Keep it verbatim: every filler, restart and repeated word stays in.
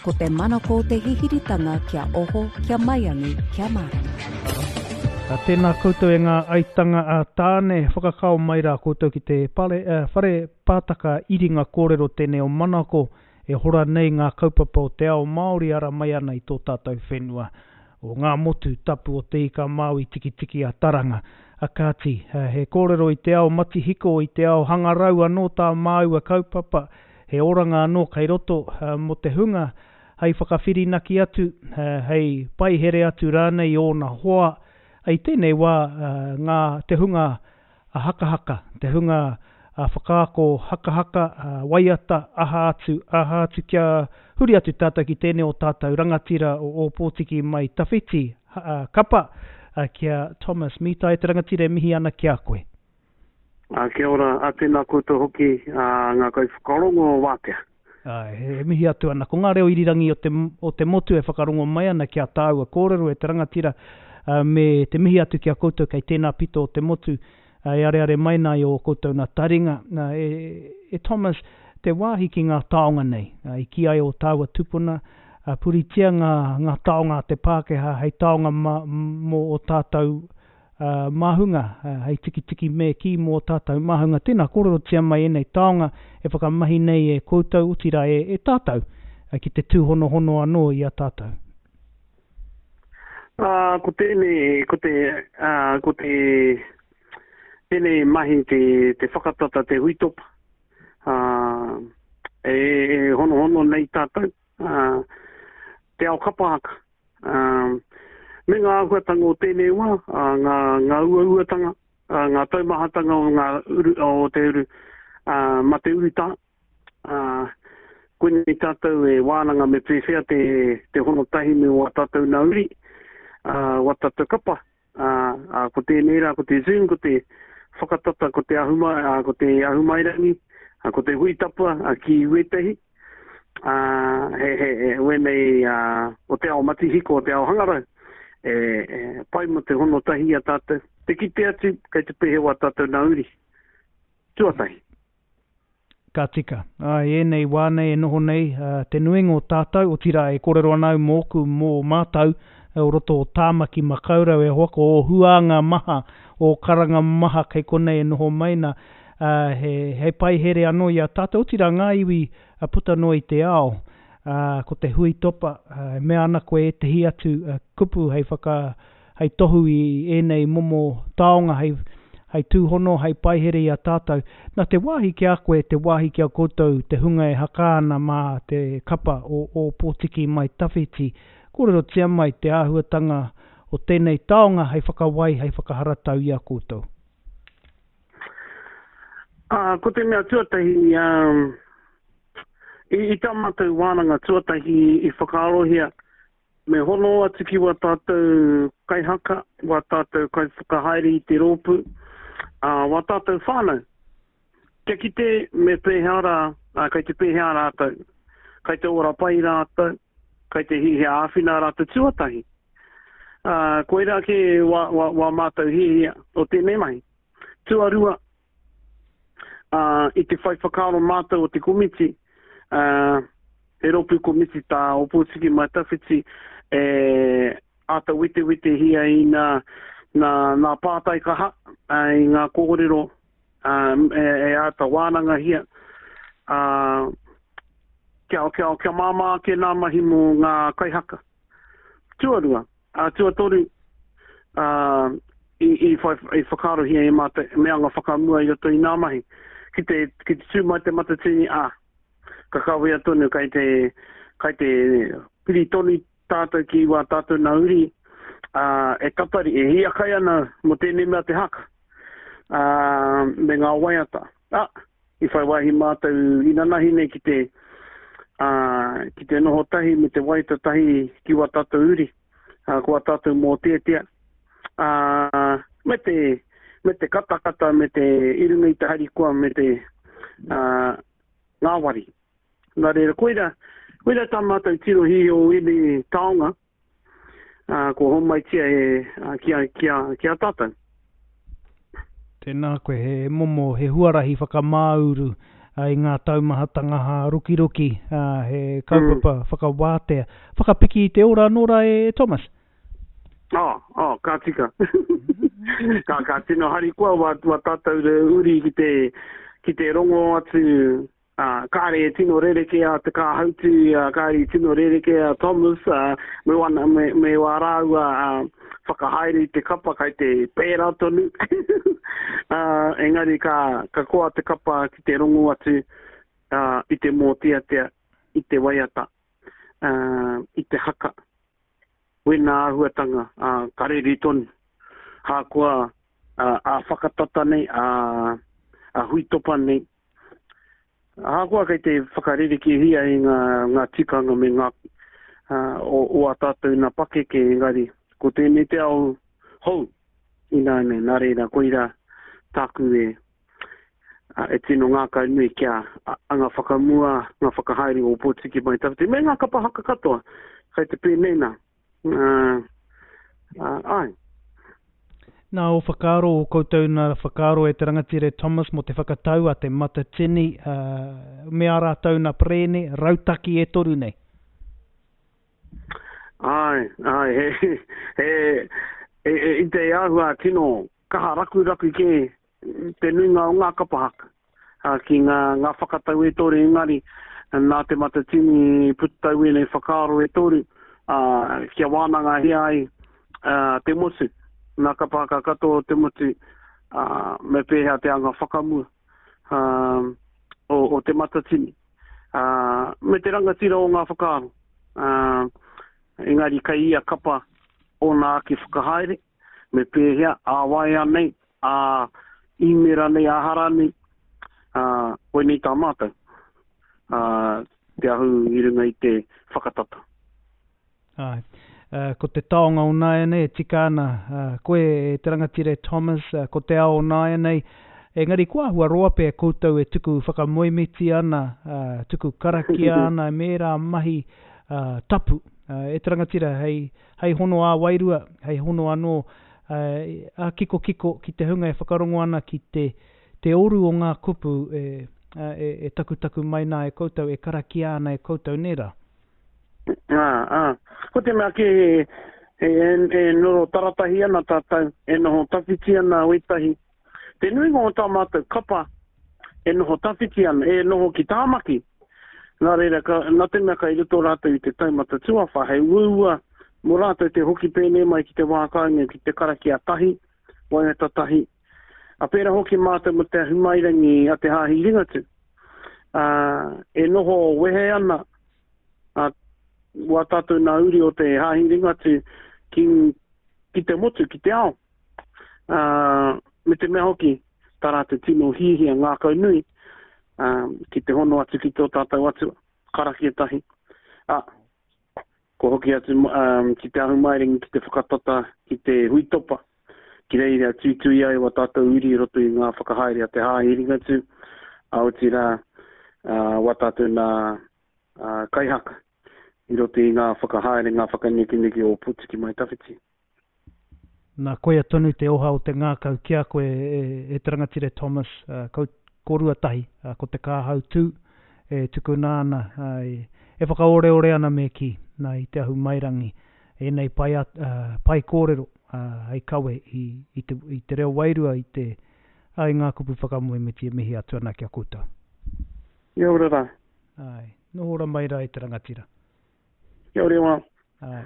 Ko te manako o te hihiritanga kia oho, kia maiangi, kia mārama. A, tēnā koutou e ngā aitanga a Tāne, whakakao mai rā koutou ki te pare, uh, whare pātaka iringa kōrero tēnei o Manako e hora nei ngā kaupapa o te ao Māori ara mai ana i tō tātou whenua. O ngā motu tapu o te ika Māui tikitiki a Taranga. A kāti, he kōrero i te ao matihiko, i te ao hangarau anō tā māua kaupapa, he oranga anō kei roto mō te hunga hei whakawhirinaki atu, hei paihere atu rānei i ōna hoa. I tēnei wā ngā te hunga hakahaka, te hunga whakaako hakahaka, waiata, aha atu, aha atu kia huri atu tātou ki tēnei o tātou rangatira o Ōpōtiki mai tawhiti kapa ki a Thomas Mitai, te rangatira e mihi ana ki a koe. A, kia ora, a tēnā koutou hoki a, ngā kaiwhakarongo o Wātea. Āe, e mihi atu ana. Ko ngā reo irirangi o te, o te motu e whakarongo mai ana ki a tāua kōrero e te rangatira, me te mihi atu ki a koutou kei tēnā pito o te motu e areare mai nā i ō koutou nā taringa. E, e Thomas, te wāhi ki ngā taonga nei, i kī ai ō tāua tupuna, puritia ngā, ngā taonga a te Pākehā hei taonga ma, mō ō tātou uh, māhunga, uh, hei tikitiki me kī mō ō tātou māhunga. Tēnā, kōrerotia mai ēnei taonga e whakamahi nei e koutou, otirā e, e tātou, uh, ki te tūhonohono anō i a tātou. Uh, ko tēnei, ko te, uh, ko te, tēnei mahi te, te whakatata te huitopa, uh, e, e honohono nei tātou, uh, te ao kapahaka, uh, me ngā āhuatanga o tēnei wā, uh, ngā, ngā uauatanga, uh, ngā taumahatanga o, ngā uru, o te uru, uh, ma te urutā, uh, koinei tātou e wānanga me pēwhea te, te hono tahi me wā tātou nā uri, uh, wā tātou kapa, uh, uh, ko tēnei rā, ko te Zoom, ko te whakatata, ko te ahuma, uh, ko te ahumairangi, uh, ko te huitapa uh, ki wētehi, uh, he, he, he, wēnei uh, o te ao matihiko, o te ao hangarau, e, e pai mo te hono tahi a tātou. Te kite atu, kei te pēhe wā tātou nā uri. Tuatahi. Ka tika. Ai, ēnei wā nei e noho nei, uh, te nuinga o tātou, otirā e kōrero ana au mōku, mō mātou, o roto o Tāmaki Makaurau e hoa, ko o huānga maha, o karanga maha kei konei e noho mai nā, uh, he, he paihere anō i a tātou, otirā ngā iwi uh, puta noa i te ao, uh, ko te hui topa, uh, e mea ana koe ētehi atu uh, kupu hei whaka, hei tohu i ēnei momo taonga, hei, hei tūhono, hei paihere i a tātou. Nā te wāhi ki a koe, te wāhi ki a koutou, te hunga e haka ana mā te kapa o Ōpōtiki mai tawhiti, kōrerotia mai te āhuatanga o tēnei taonga hei whakawai, hei whakaharatau i a koutou. Uh, ko te mea tuatahi, um, i, i tā mātou wānanga tuatahi i whakaarohia, me hono atu ki wā tātou kaihaka, wā tātou kaiwhakahaere i te rōpū, uh, wā tātou whānau. Kia kite me pēhea rā, uh, kei te pēhea rātou, kei te ora pai rātou, kei te hihia āwhina rātou tuatahi. Uh, koirā ke wā, wā, wā mātou hihia o tēnei mahi. Tuarua, uh, i te whai whakaaro mātou o te komiti, uh, he rōpū komiti tā Ōpōtiki Mai Tawhiti, e āta wetewetehia i nā, nā, nā pātai kaha, uh, i ngā kōrero, uh, e, e āta wānangahia, uh, kia, kia, kia māmā ake nā mahi mō ngā kaihaka. Tuarua, uh, tuatoru, uh, i, i, whai, i whakaarohia e mātou, me anga whakamua i roto i nā mahi. Ki te, ki te tū mai te matatini, ah, ka kawea tonu, kai te, kai te piri tonu tātou ki wā tātou nā uri, uh, e tatari, e hiakai ana mō tēnei mea te haka, uh, me ngā waiata. Ah, i whai wāhi mātou inanahi nei ki te, uh, ki te noho tahi me te waiata tahi ki wā tātou uri, uh, ko wā tātou mō tētea, uh, me te, me te katakata, me te irunga i te harikoa, me te uh, ngāwari. Nā reira, koira, koira tā mātou tirohi o ēnei taonga, uh, ko homaitia e, uh, ki, a, ki, a, ki a tātou. Tēnā koe, he momo, he huarahi whakamāuru, i ngā taumahatanga hārokiroki, he kaupapa mm. whakawātea. Whakapiki i te ora anō rā e Thomas? Oh, oh, ka tika. ka, ka tino harikoa wā, wā tātou uri ki te, ki te rongo atu, uh, kāre e tino rereke a Te Kāhautu, uh, kāre e tino rereke a Thomas, uh, me, wana, me, me wā rāua uh, whakahaere i te kapa kai te pērā tonu. uh, engari ka, ka koa te kapa ki te rongo atu uh, i te mōteatea, i te waiata, uh, i te haka. Wena āhuatanga, uh, ka rere tonu. Hākoa uh, a whakatata nei, a, a huitopa nei. Ahakoa kei te whakarerekehia i ngā, ngā tikanga me ngā uh, o, o a tātou nā pakeke, engari ko tēnei te ao hou ināianei, nā reira, koira tāku e, e tino ngākau nui kia anga whakamua ngā whakahaere o Ōpōtiki Mai Tawhiti me ngā kapa haka katoa kai te pēnei nā. Uh, uh, ai. Nā o whakaaro o koutou nā whakaaro e te rangatira Thomas mō te whakatau a te Matatini uh, me ā rātou nā perēne rautaki e toru nei. Ai, ai, he, he, he, he, i te āhua tino kaha rakuraku ke te nuinga o ngā kapa haka uh, ki ngā, ngā whakatau e toru engari nā te Matatini putau ēnei whakaaro e toru uh, kia wānanga hea ai uh, te motu, ngā kapa haka katoa o te motu, uh, me pēhea te anga whakamua uh, o, o te Matatini. Uh, me te rangatira o ngā whakaaro. Uh, engari kai ia kapa ōna ake whakahaere, me pēhea, ā waea nei, ā īmera nei, ā hara nei, uh, koinei tā mātou, uh, te ahu i runga i te whakatata. Ai. Uh, ko te taonga o nāianei e tika ana, uh, koe e te rangatira Thomas, uh, ko te ao o nāianei, engari ko āhua roa pea koutou e tuku whakamoemiti ana, uh, tuku karakia ana, me ērā mahi uh, tapu. Uh, e te rangatira, hei, hei hono ā wairua, hei hono anō uh, a kiko kiko ki te hunga e whakarongo ana ki te, te oru o ngā kupu e, e, e takutaku mai nā e koutou, e karakia ana e koutou nē rā. Ā, ā. Ko te mea ke e, e, e noho taratahi ana tātou, e noho tawhiti ana wētahi. Te nuinga o tā mātou kapa e noho tawhiti ana, e noho ki Tāmaki. Nā reira, ka, nā te mea kai roto rātou i te taumata tuawha, hei uaua mō rātou te hoki pēnei mai ki te wā kāinga, ki te karakia tahi, waiata tahi. A pērā hoki mātou mō te ahumairangi a te Hāhi Ringatū. Uh, e noho wehe ana a, wā tātou nā uri o te Hāhi Ringatū ki, ki te motu, ki te ao. Uh, me te mea hoki, tā rātou tino hihia ngākau nui, um, ki te hono atu ki tō tātou atua, karakia tahi. A, ko hoki atu um, ki te ahumairangi, ki te whakatata, ki te huitopa, ki reira tuitui ai wā tātou uri i roto i ngā whakahaere a te Hāhi Ringatū, a otirā uh, wā tātou nā uh, kaihaka i roto i ngā whakahaere, ngā whakanekeneke o Ōpōtiki Mai Tawhiti. Nā, koia tonu te oha o te ngākau ki a koe e, e te rangatira Thomas, uh, kau, korua tahi, uh, ko te Kāhautū e tukuna ana, uh, e, e whakaoreore ana me ki, nā i te ahumairangi, ēnei pai, uh, pai kōrero uh, hei kawe i, i, te, i te reo wairua, i te uh, i ngā kupu whakamoemiti e mihi atu ana ki a koutou. Kia ora rā. Ai, noho ora mai rā i te rangatira. Kia ora wā. Ai.